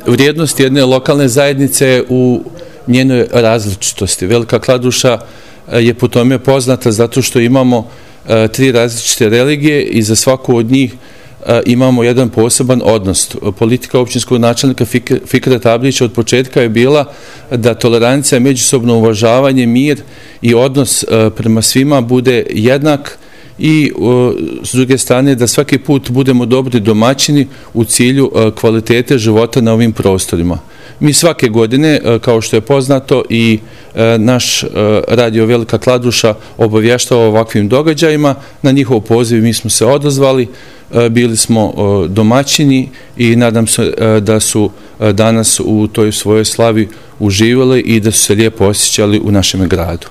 vrijednost jedne lokalne zajednice u njenoj različitosti. Velika Kladuša je po tome poznata zato što imamo 3 različite religije i za svaku od njih imamo jedan poseban odnos. Politika općinskog načelnika Fikra Tablića od početka je bila da tolerancija, međusobno uvažavanje, mir i odnos prema svima bude jednak i s druge strane da svaki put budemo dobri domaćini u cilju kvalitete života na ovim prostorima. Mi svake godine, kao što je poznato, i naš radio Velika Kladuša obavještava o ovakvim događajima. Na njihov poziv mi smo se odazvali, bili smo domaćini i nadam se da su danas u toj svojoj slavi uživali i da su se lijepo osjećali u našem gradu.